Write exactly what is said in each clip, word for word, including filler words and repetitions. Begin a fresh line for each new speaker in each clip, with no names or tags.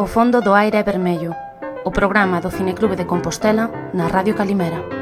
fondo do aire é vermello, o programa do Cineclube de Compostela na Radio Calimera.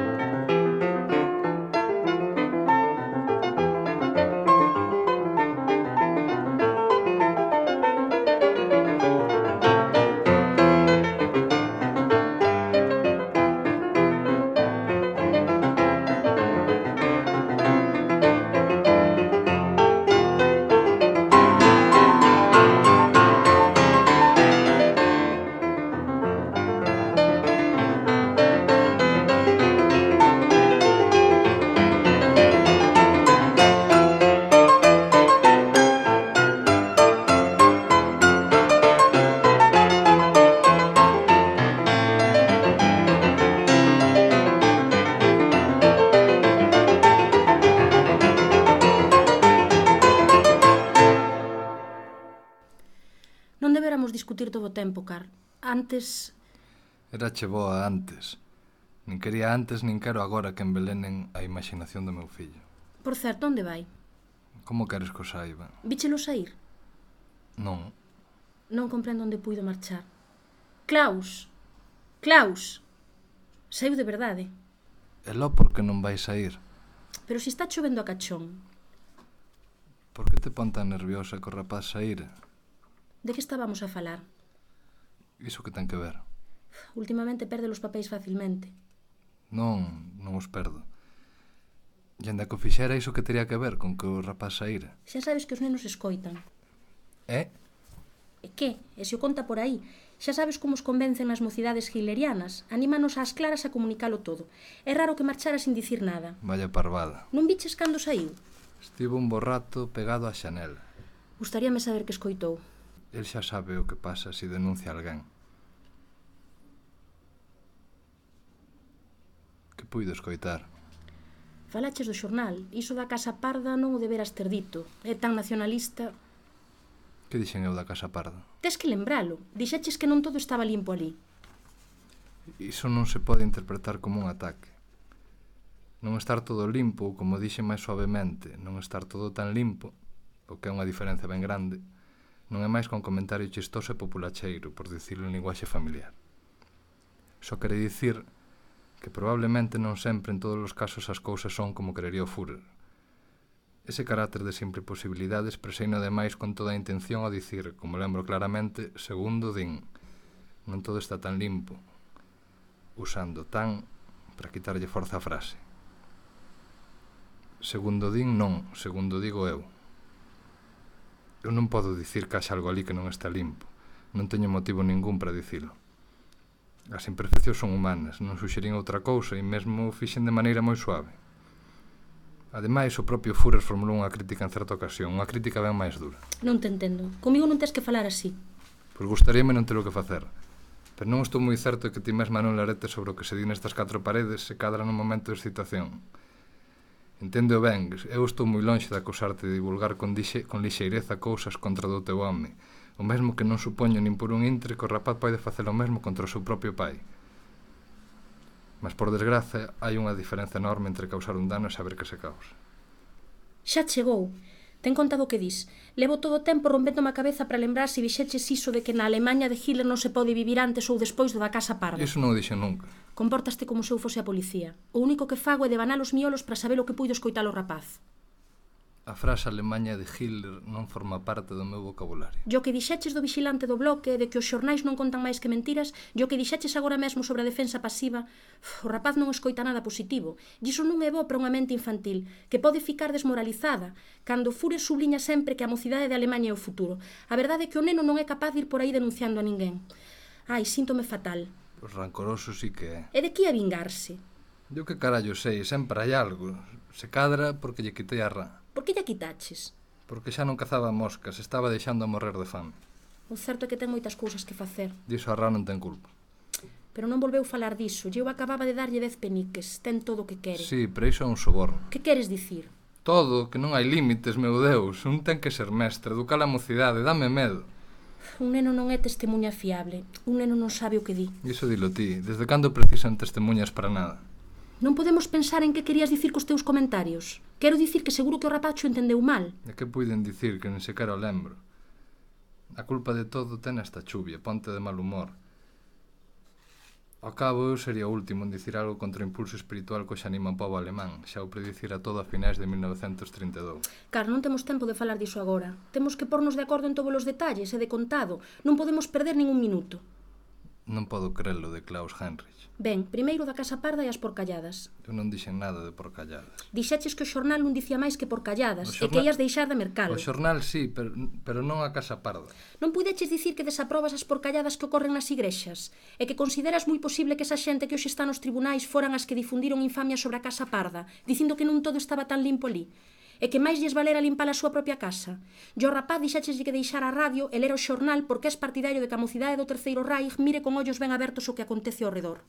Non deberamos discutir todo o tempo, Car. Antes...
Era che boa antes. Nin quería antes, nin quero agora que envelenen a imaginación do meu fillo.
Por certo, onde vai?
Como queres que o saiba?
Víchelo saír?
Non.
Non comprendo onde puido marchar. Klaus! Klaus! Saiu de verdade.
E lo por que non vai sair?
Pero se está chovendo a cachón.
Por que te pon tan nerviosa que o rapaz saíra?
De que estábamos a falar?
Iso que ten que ver?
Últimamente perde os papéis facilmente.
Non, non os perdo. E anda que o fixera iso que teria que ver con que o rapaz saíra.
Xa sabes que os nenos escoitan.
É?
E que? E se o conta por aí? Xa sabes como os convencen nas mocidades hitlerianas. Anímanos ás claras a comunicalo todo. É raro que marchara sin dicir nada.
Vaya parvada.
Non viches cando saiu?
Estivo un bo rato pegado á xanela.
Gustaríame saber que escoitou.
El xa sabe o que pasa se denuncia alguén. Que puido escoitar?
Falaches do xornal. Iso da Casa Parda non o deberas ter dito. É tan nacionalista.
Que dixen eu da Casa Parda?
Tes que lembralo. Dixeches que non todo estaba limpo ali.
Iso non se pode interpretar como un ataque. Non estar todo limpo, como dixe máis suavemente, non estar todo tan limpo, o que é unha diferenza ben grande, non é máis que un comentario chistoso e populacheiro, por dicirlo en linguaxe familiar. Só quere dicir que probablemente non sempre en todos os casos as cousas son como querería o Führer. Ese carácter de simple posibilidade expreseino ademais con toda a intención ao dicir, como lembro claramente, segundo din, non todo está tan limpo, usando tan para quitarlle forza a frase. Segundo din non, segundo digo eu. Eu non podo dicir que haxa algo ali que non está limpo. Non teño motivo ningún para dicilo. As imperfeccións son humanas, non suxerín outra cousa e mesmo o fixen de maneira moi suave. Ademais, o propio Führer formulou unha crítica en certa ocasión, unha crítica ben máis dura.
Non te entendo. Comigo non tes que falar así.
Pois gustaríame non ter o que facer. Pero non estou moi certo de que ti mesma non larete sobre o que se di nestas catro paredes se cadra nun momento de excitación. Entendo ben, eu estou moi lonxe de acusarte de divulgar con, dixe, con lixeireza cousas contra do teu home, o mesmo que non supoño nin por un intre que o rapaz pode facer o mesmo contra o seu propio pai. Mas por desgraza hai unha diferenza enorme entre causar un dano e saber que se causa.
Xa chegou. Ten contado o que dis. Levo todo o tempo rompéndome a cabeza para lembrar se vixeches iso de que na Alemanha de Hitler non se pode vivir antes ou despois do da Casa Parda.
Iso non o dixen nunca.
Compórtaste como se eu fose a policía. O único que fago é devanar os miolos para saber o que puido escoitar o rapaz.
A frase Alemanha de Hitler non forma parte do meu vocabulario.
E o que dixeches do vigilante do bloque, de que os xornais non contan máis que mentiras, e o que dixeches agora mesmo sobre a defensa pasiva, o rapaz non escoita nada positivo. E iso non é bo para unha mente infantil, que pode ficar desmoralizada, cando Führer subliña sempre que a mocidade de Alemanha é o futuro. A verdade é que o neno non é capaz de ir por aí denunciando a ninguén. Ai, síntome fatal.
Pois rancoroso sí que é.
E de que a vingarse?
Eu que carallo sei, sempre hai algo. Se cadra porque lle quitei a rá.
Por que lle quitaches?
Porque xa non cazaba moscas, estaba deixando a morrer de fame.
O certo é que ten moitas cousas que facer.
Diso a rá non ten culpa.
Pero non volveu falar diso. Eu acababa de darlle dez peniques. Ten todo o que quere.
Sí, pero iso é un soborno.
Que queres dicir?
Todo, que non hai límites, meu Deus. Un ten que ser mestre, educar a mocidade, dame medo.
Un neno non é testemunha fiable. Un neno non sabe o que di.
Iso dilo ti. Desde cando precisan testemunhas para nada?
Non podemos pensar en que querías dicir cos teus comentarios. Quero dicir que seguro que o rapacho entendeu mal.
E que puiden dicir que nen sequera o lembro? A culpa de todo ten esta chuvia, ponte de mal humor. Ao cabo, eu sería o último en dicir algo contra o impulso espiritual que xa anima o pobo alemán, xa o predicira todo a finais de mil novecentos trinta e dous.
Car, non temos tempo de falar diso agora. Temos que pornos de acordo en todos os detalles e de contado. Non podemos perder ningún minuto.
Non podo crelo de Klaus Heinrich.
Ben, primeiro da Casa Parda e as porcalladas.
Eu non dixen nada de porcalladas.
Dixeches que o xornal non dicía máis que porcalladas
xornal...
e que ias deixar de mercalo.
O xornal sí, pero, pero non a Casa Parda.
Non puideches dicir que desaprobas as porcalladas que ocorren nas igrexas e que consideras moi posible que esa xente que hoxe está nos tribunais foran as que difundiron infamia sobre a Casa Parda, dicindo que non todo estaba tan limpo ali e que máis lles valera limpar a súa propia casa. Yo, rapaz, dixécheslle que deixar a radio e ler o xornal porque és partidario de que a mocidade do Terceiro Reich mire con ollos ben abertos o que acontece ao redor.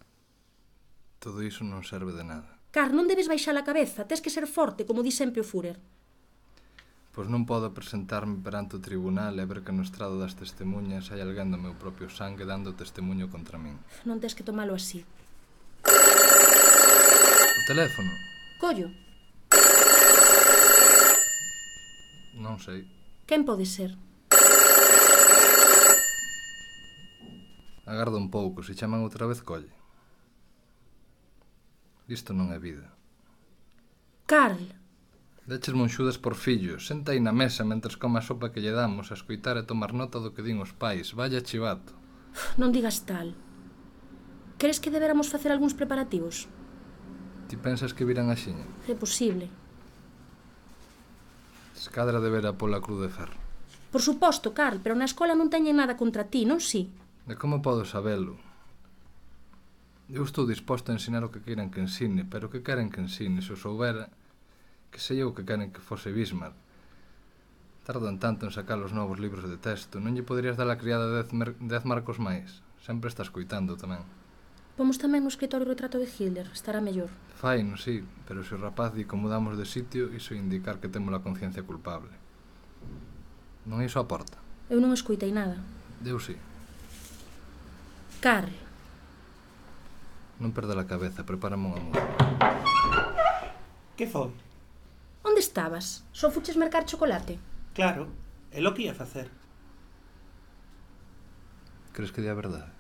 Todo iso non serve de nada.
Car, non debes baixar a cabeza, tes que ser forte, como di sempre o Führer.
Pois non podo presentarme perante o tribunal e ver que no estrado das testemunhas hai alguén do meu propio sangue dando testemunho contra min.
Non tes que tomalo así.
O teléfono?
Collo.
Non sei.
Quen pode ser?
Agarda un pouco, se chaman outra vez colle. Isto non é vida.
Carl!
Deches monxudas por fillos, senta aí na mesa mentres coma a sopa que lle damos, a escoitar e tomar nota do que din os pais. Vaya chivato.
Non digas tal. Crees que deberamos facer algúns preparativos?
Ti pensas que viran axiña?
É posible.
Escadra de vera pola cruz de ferro.
Por suposto, Carl, pero na escola non teñen nada contra ti, non si?
De como podo sabelo? Eu estou disposto a ensinar o que queiran que ensine, pero que queren que ensine, se o soubera, que sei eu que queren que fose Bismarck. Tardan tanto en sacar os novos libros de texto, non lle poderías dar a criada dez, dez marcos máis? Sempre estás coitando tamén.
Pomos tamén no escritorio o retrato de Hitler, estará mellor.
Fai, non si, pero se o rapaz di como mudamos de sitio, iso indicar que temos a conciencia culpable. Non iso a porta?
Eu non escoitei nada.
Eu si.
Carl.
Non perda a cabeza, prepárame unha música.
Que foi?
Onde estabas? Só fuches mercar chocolate?
Claro, é lo que ia facer.
Crees que di a verdade?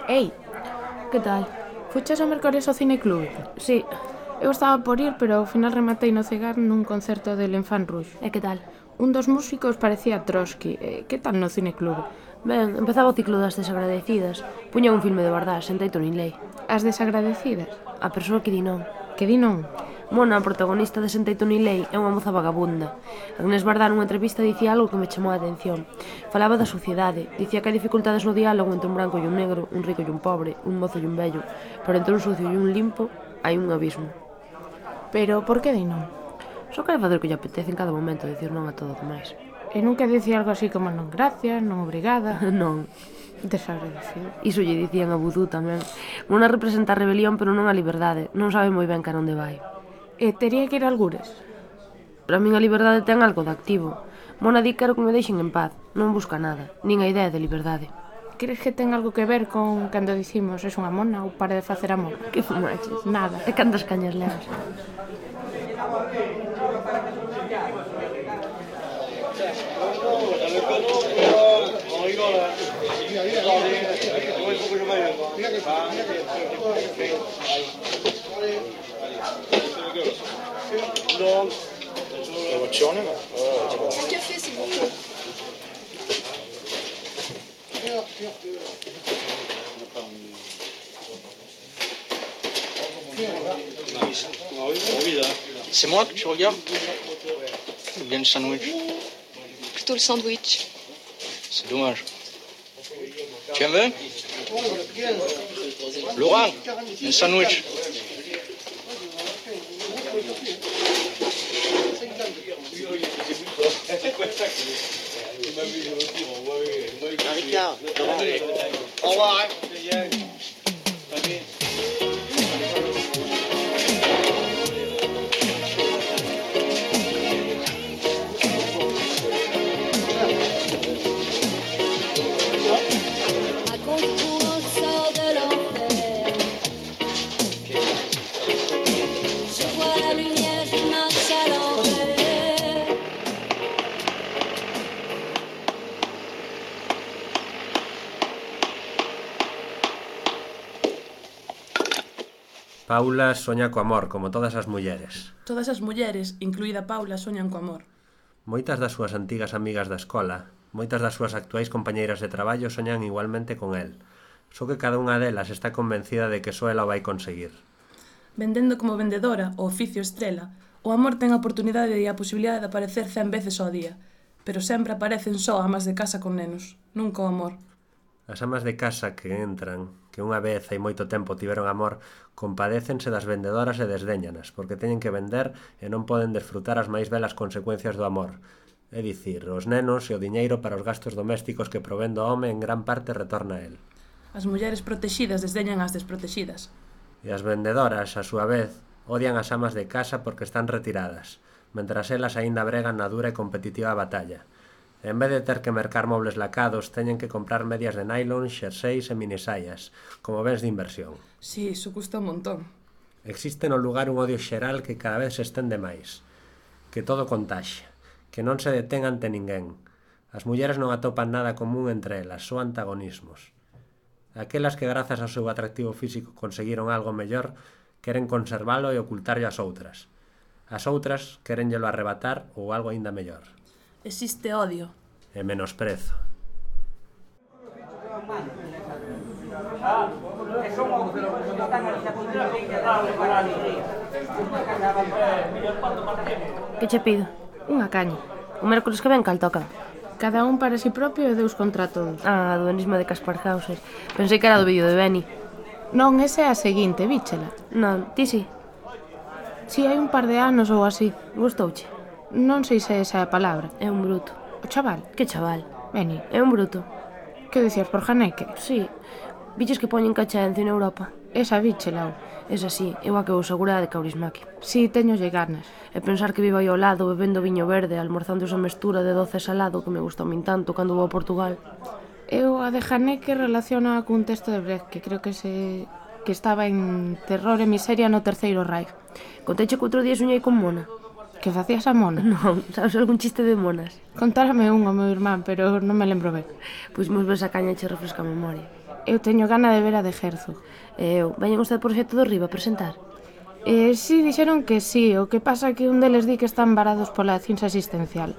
Ei, que tal? Fuches a mercares ao cineclube?
Sí,
Eu estaba por ir, pero ao final rematei no Cegar nun concerto de L'Enfant Rouge.
E que tal?
Un dos músicos parecía Trotsky. E que tal no cineclube?
Ben, empezaba o ciclo das desagradecidas. Puña un filme de verdade, sentei Tony Ley.
As desagradecidas?
A persoa que di non.
Que di non?
Mona, a protagonista de Sentei Tony Ley, é unha moza vagabunda. Agnès Varda nunha entrevista dicía algo que me chamou a atención. Falaba da sociedade, dicía que hai dificultades no diálogo entre un branco e un negro, un rico e un pobre, un mozo e un vello, pero entre un sucio e un limpo hai un abismo.
Pero por que di non?
Só quere facer o que lle apetece en cada momento, dicir non a todo o demais.
E nunca dicía algo así como non gracias, non obrigada.
Non.
Desagradecido.
Iso lle dicían a Vudú tamén. Mona representa a rebelión, pero non a liberdade. Non sabe moi ben cara onde vai.
E tería que ir a algures?
Para min a liberdade ten algo de activo. Mona di quero que me deixen en paz. Non busca nada, nin a idea de liberdade.
Crees que ten algo que ver con cando dicimos es unha mona ou para de facer amor?
Que fumaches?
Nada.
E cantas cañas levas?
Un café, s'il vous plaît.
C'est moi que tu regardes? Ou bien le sandwich?
Plutôt le sandwich.
C'est dommage. Tu aimes bien? Laurent, un sandwich. Ricard, au revoir.
Paula soña co amor, como todas as mulleres.
Todas as mulleres, incluída Paula, soñan co amor.
Moitas das súas antigas amigas da escola, moitas das súas actuais compañeiras de traballo soñan igualmente con el. Só que cada unha delas está convencida de que só ela o vai conseguir.
Vendendo como vendedora, o oficio estrela, o amor ten a oportunidade e a posibilidade de aparecer cen veces ao día, pero sempre aparecen só amas de casa con nenos, nunca o amor.
As amas de casa que entran, que unha vez hai moito tempo tiveron amor, compadécense das vendedoras e desdéñanas, porque teñen que vender e non poden desfrutar as máis belas consecuencias do amor. É dicir, os nenos e o diñeiro para os gastos domésticos que provén do home en gran parte retorna a el.
As mulleres protexidas desdeñan as desprotexidas.
E as vendedoras, a súa vez, odian as amas de casa porque están retiradas, mentras elas aínda bregan na dura e competitiva batalla. En vez de ter que mercar mobles lacados, teñen que comprar medias de nylon, xerseis e minisaias, como bens de inversión.
Si, iso custa un montón.
Existe no lugar un odio xeral que cada vez se estende máis, que todo contaxa, que non se detén ante ninguén. As mulleres non atopan nada común entre elas, só antagonismos. Aquelas que grazas ao seu atractivo físico conseguiron algo mellor, queren conservalo e ocultarlo ás outras. As outras querenllelo arrebatar ou algo aínda mellor.
Existe odio.
E menosprezo.
Que che pido?
Unha caña.
O mércoles que ven cal toca?
Cada un para si propio e Deus contra todos.
Ah, do enisma de Caspar Hauser. Pensei que era do vídeo de Benny.
Non, esa é a seguinte, víchela.
Non, ti si?
Si, hai un par de anos ou así.
Gustouche?
Non sei se esa é a palabra.
É un bruto.
O chaval?
Que chaval?
Benny.
É un bruto.
Que dicías por Janeque?
Si. Viches que poñen cachaencio en Europa?
Esa víchela.
Esa si, eu a que vou segura de Kaurismäki.
Si, teñolle ganas.
E pensar que vivo aí ao lado bebendo viño verde, almorzando esa mestura de doce e salado que me gusta a min tanto cando vou a Portugal.
Eu a de Janeque relaciona cun texto de Brecht que creo que se... que estaba en Terror e Miseria no Terceiro Reich.
Conteiche que outro día soñei con Mona.
Que facías a mona?
Non, sabes algún chiste de monas?
Contárame un ao meu irmán, pero non me lembro ben.
Pois mos ves a caña e che refresca a memoria.
Eu teño gana de ver a de Herzog.
E eu, veñen os del proxecto do Riba a presentar?
Eh, sí, dixeron que sí, o que pasa que un deles di que están varados pola cinza asistencial.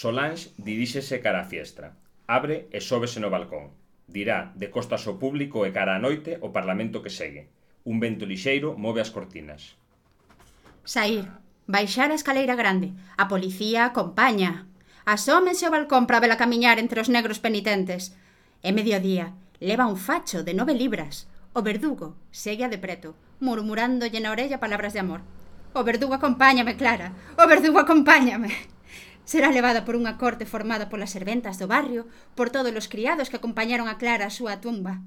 Solange diríxese cara á fiestra. Abre e sóbese no balcón. Dirá, de costas ao público e cara á noite, o Parlamento que segue. Un vento lixeiro move as cortinas.
Saír, baixar a escaleira grande. A policía acompaña. Asómense ao balcón para vela camiñar entre os negros penitentes. É mediodía. Leva un facho de nove libras. O verdugo segue a de preto, murmurándolle na orella palabras de amor. O verdugo acompáñame, Clara. O verdugo acompáñame. Será levada por unha corte formada polas serventas do barrio, por todos os criados que acompañaron a Clara á súa tumba.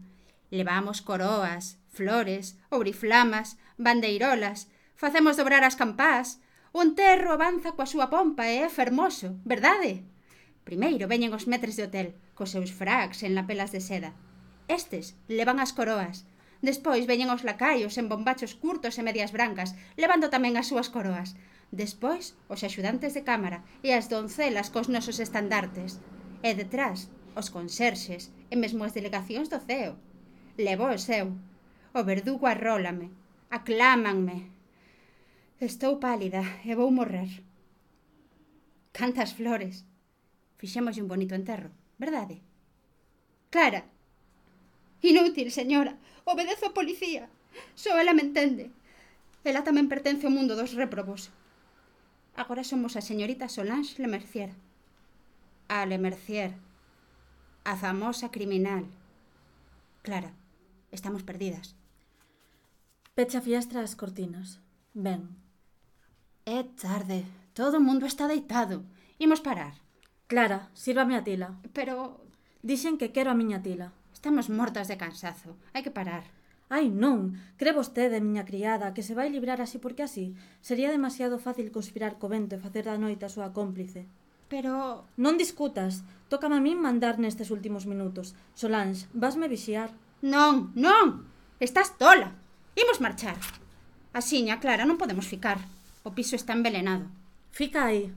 Levamos coroas, flores, ouriflamas, bandeirolas, facemos dobrar as campás, o enterro avanza coa súa pompa e é fermoso, verdade? Primeiro veñen os metres de hotel, cos seus fracs en lapelas de seda. Estes levan as coroas. Despois veñen os lacaios en bombachos curtos e medias brancas, levando tamén as súas coroas. Despois, os axudantes de cámara e as doncelas cos nosos estandartes. E detrás, os conserxes e mesmo as delegacións do C E O. Levo o seu. O verdugo arrólame. Aclámanme. Estou pálida e vou morrer. Cantas flores. Fixémoslle un bonito enterro, verdade? Clara. Inútil, señora. Obedezo a policía. Só ela me entende. Ela tamén pertence ao mundo dos réprobos. Agora somos a señorita Solange Lemercier. A Lemercier. A famosa criminal. Clara, estamos perdidas.
Pecha a fiestra as cortinas. Ben.
É tarde. Todo o mundo está deitado. Imos parar.
Clara, sírvame a tila.
Pero...
Dixen que quero a miña tila.
Estamos mortas de cansazo. Hai que parar.
Ai, non, cre vostede, miña criada, que se vai librar así porque así? Sería demasiado fácil conspirar co vento e facer da noite a súa cómplice.
Pero...
Non discutas, tócame a min mandar nestes últimos minutos. Solange, vasme vixiar.
Non, non, estás tola. Imos marchar. Asiña, Clara, non podemos ficar. O piso está envelenado.
Fica aí.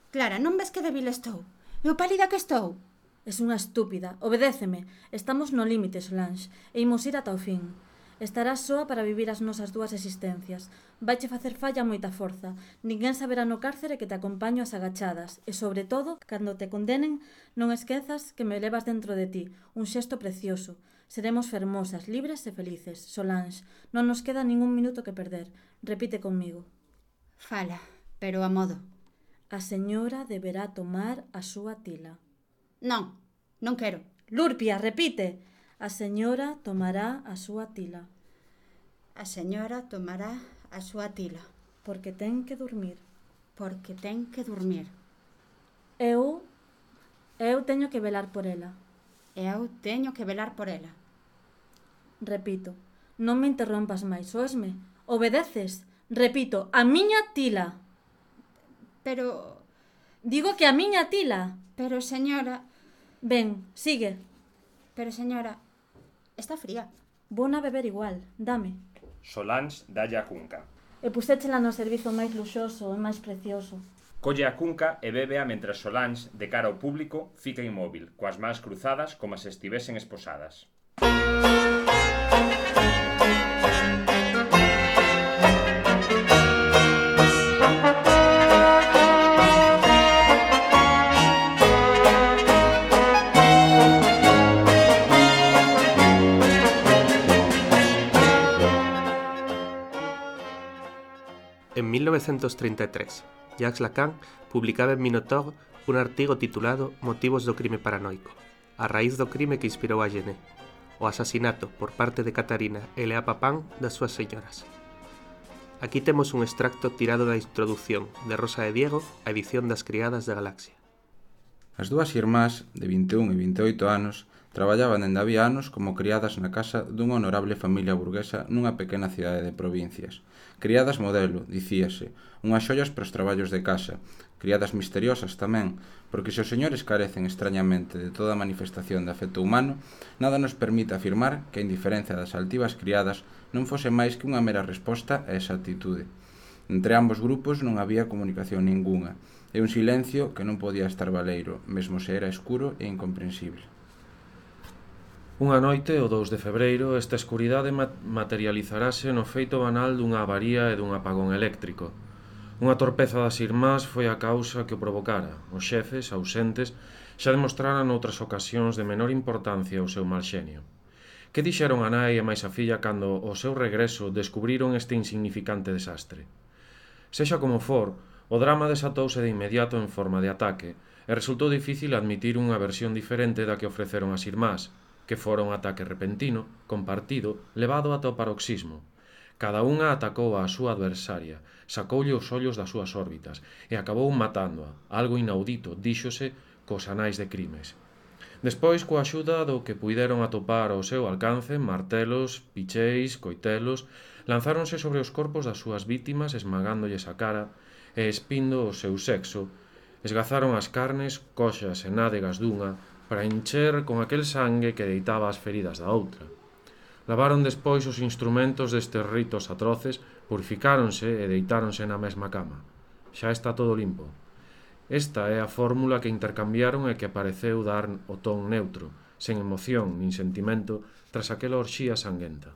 Clara, non ves que débil estou? E o pálida que estou?
Es unha estúpida. Obedéceme. Estamos no límite, Solange, e imos ir ata o fin. Estarás soa para vivir as nosas dúas existencias. Vaiche facer falla moita forza. Ninguén saberá no cárcere que te acompaño ás agachadas. E, sobre todo, cando te condenen, non esquezas que me levas dentro de ti. Un xesto precioso. Seremos fermosas, libres e felices. Solange, non nos queda ningún minuto que perder. Repite conmigo.
Fala, pero a modo.
A señora deberá tomar a súa tila.
Non, non quero.
Lurpia, repite. A señora tomará a súa tila.
A señora tomará a súa tila.
Porque ten que dormir.
Porque ten que dormir.
Eu... Eu teño que velar por ela.
Eu teño que velar por ela.
Repito, non me interrompas máis, oesme? Obedeces? Repito, a miña tila.
Pero...
Digo que a miña tila.
Pero, señora...
Ben, sigue.
Pero, señora, está fría.
Bona beber igual, dame.
Solange dalle a cunca.
E puséchela no servizo máis luxoso e máis precioso.
Colle a cunca e bébea mentre Solange, de cara ao público, fica inmóvil, coas mans cruzadas como se estivesen esposadas.
En mil novecientos treinta e tres, Jacques Lacan publicaba en Minotaur un artigo titulado Motivos do crime paranoico, a raíz do crime que inspirou a Genet, o asasinato por parte de Catarina e Lea Papin das súas señoras. Aquí temos un extracto tirado da introdución de Rosa de Diego á edición das Criadas da Galaxia.
As dúas irmás, de vinte e un e vinte e oito anos, traballaban dende había anos como criadas na casa dunha honorable familia burguesa nunha pequena cidade de provincias. Criadas modelo, dicíase, unhas xollas para os traballos de casa, criadas misteriosas tamén, porque se os señores carecen extrañamente de toda manifestación de afecto humano, nada nos permite afirmar que a indiferencia das altivas criadas non fose máis que unha mera resposta a esa actitude. Entre ambos grupos non había comunicación ningunha, e un silencio que non podía estar valeiro, mesmo se era escuro e incomprensible.
Unha noite, o dous de febreiro, esta escuridade materializarase no feito banal dunha avaría e dun apagón eléctrico. Unha torpeza das irmás foi a causa que o provocara. Os xefes, ausentes, xa demostraran noutras ocasións de menor importancia o seu mal xenio. Que dixeron a nai e máis a filla cando, ao seu regreso, descubriron este insignificante desastre? Sexa como for, o drama desatouse de inmediato en forma de ataque e resultou difícil admitir unha versión diferente da que ofreceron as irmás, que fora un ataque repentino, compartido, levado ata o paroxismo. Cada unha atacou á súa adversaria, sacoulle os ollos das súas órbitas e acabou matándoa, algo inaudito, díxose, cos anais de crimes. Despois, coa axuda do que puideron atopar ao seu alcance, martelos, picheis, coitelos, lanzáronse sobre os corpos das súas vítimas esmagándolles a cara e espindo o seu sexo, esgazaron as carnes, coxas e nádegas dunha para encher con aquel sangue que deitaba as feridas da outra. Lavaron despois os instrumentos destes ritos atroces, purificáronse e deitáronse na mesma cama. Xa está todo limpo. Esta é a fórmula que intercambiaron e que pareceu dar o ton neutro, sen emoción nin sentimento, tras aquela orxía sanguenta.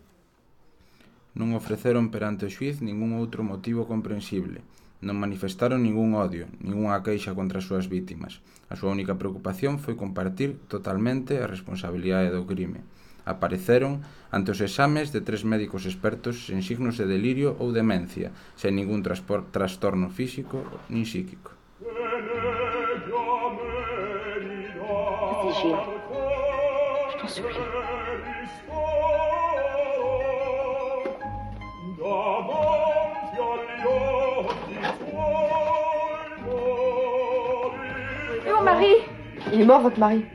Non ofreceron perante o xuiz ningún outro motivo comprensible. Non manifestaron ningún odio, ningunha queixa contra as súas vítimas. A súa única preocupación foi compartir totalmente a responsabilidade do crime. Apareceron ante os exames de tres médicos expertos sen signos de delirio ou demencia, sen ningún trastorno físico nin psíquico.
Vigila. Je t'en supplie.
Et mon mari?
Il est mort, votre mari.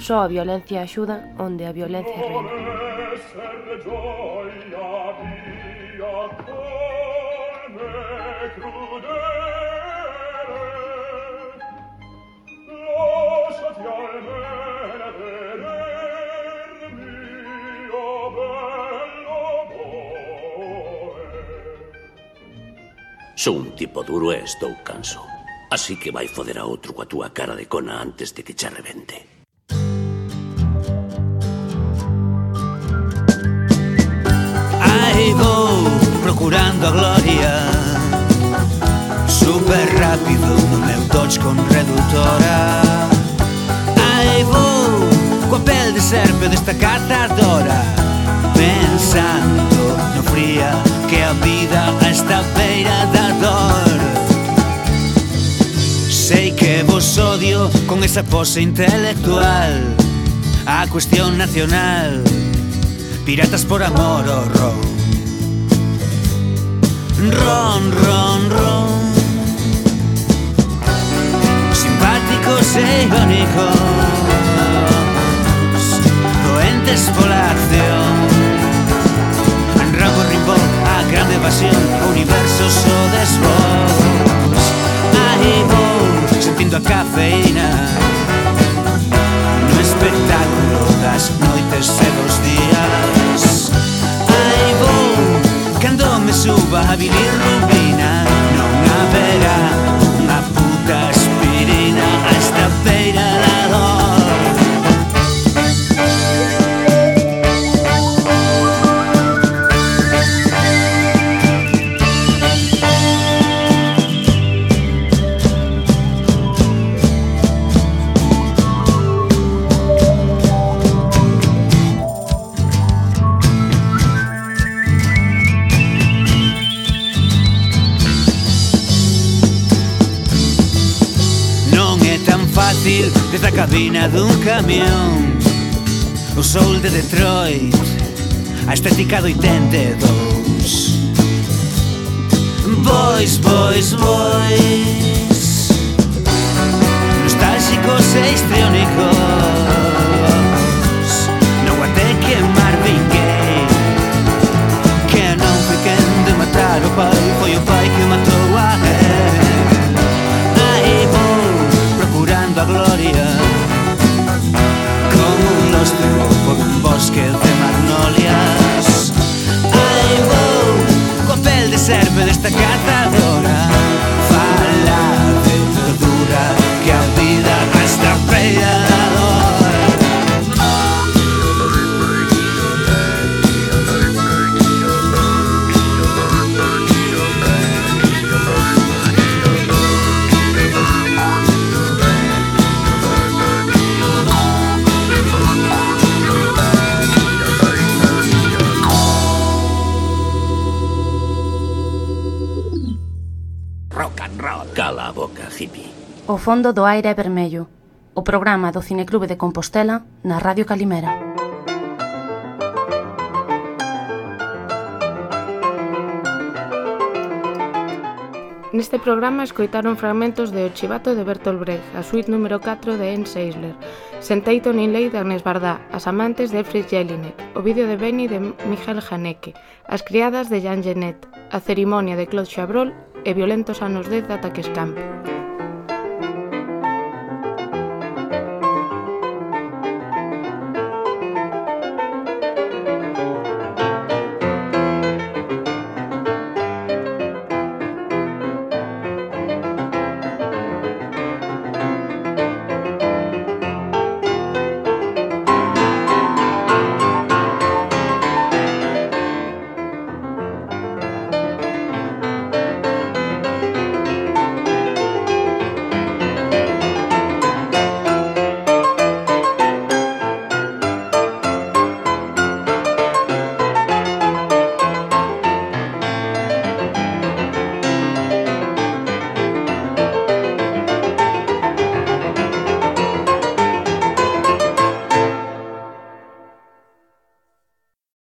Só a violencia axuda onde a violencia reina.
Sou un tipo duro e estou canso. Así que vai foder a outro coa túa cara de cona antes de que che rebente.
Aí vou procurando a gloria, super rápido no meu Dodge con reductora. Aí vou coa pel de serpe desta cazadora, pensando no fría que a vida a esta beira da dor. Sei que vos odio con esa pose intelectual, a cuestión nacional, piratas por amor o ron. Ron, ron, ron. Simpáticos e irónicos, doentes pola acción. Ramo rimbón, a grande evasión, o universo so desvós. Aí vou, sentindo a cafeína no espectáculo das noites e dos días. Aí vou, cando me suba a bilirrubina, non haberá unha puta aspirina a esta beira da dor. fácil desde a cabina dun camión. O soul de Detroit, a estética do oitenta e dous. Boys, boys, boys, nostálxicos e histriónicos. Non até que Marvin Gaye, que non foi quen de matar o pai, foi o pai que matou a él. Aí vou procurando a gloria, como un lostro por un bosque de magnolias. Aí vou coa pel de serpe desta cazadora, fala de dura que a vida resta feia da dor.
Cala a boca, hippie.
O fondo do aire é vermello. O programa do Cineclube de Compostela na Radio Calimera.
Neste programa escoitaron fragmentos de O Chivato de Bertolt Brecht, a suite número catro de Ernst Eisler, Senteiton in Ley de Agnès Varda, As amantes de Friedrich Jelinek, O vídeo de Benny de Michael Haneke, As criadas de Jean Genet, A cerimonia de Claude Chabrol e Violentos anos dez de Ataque Escampe.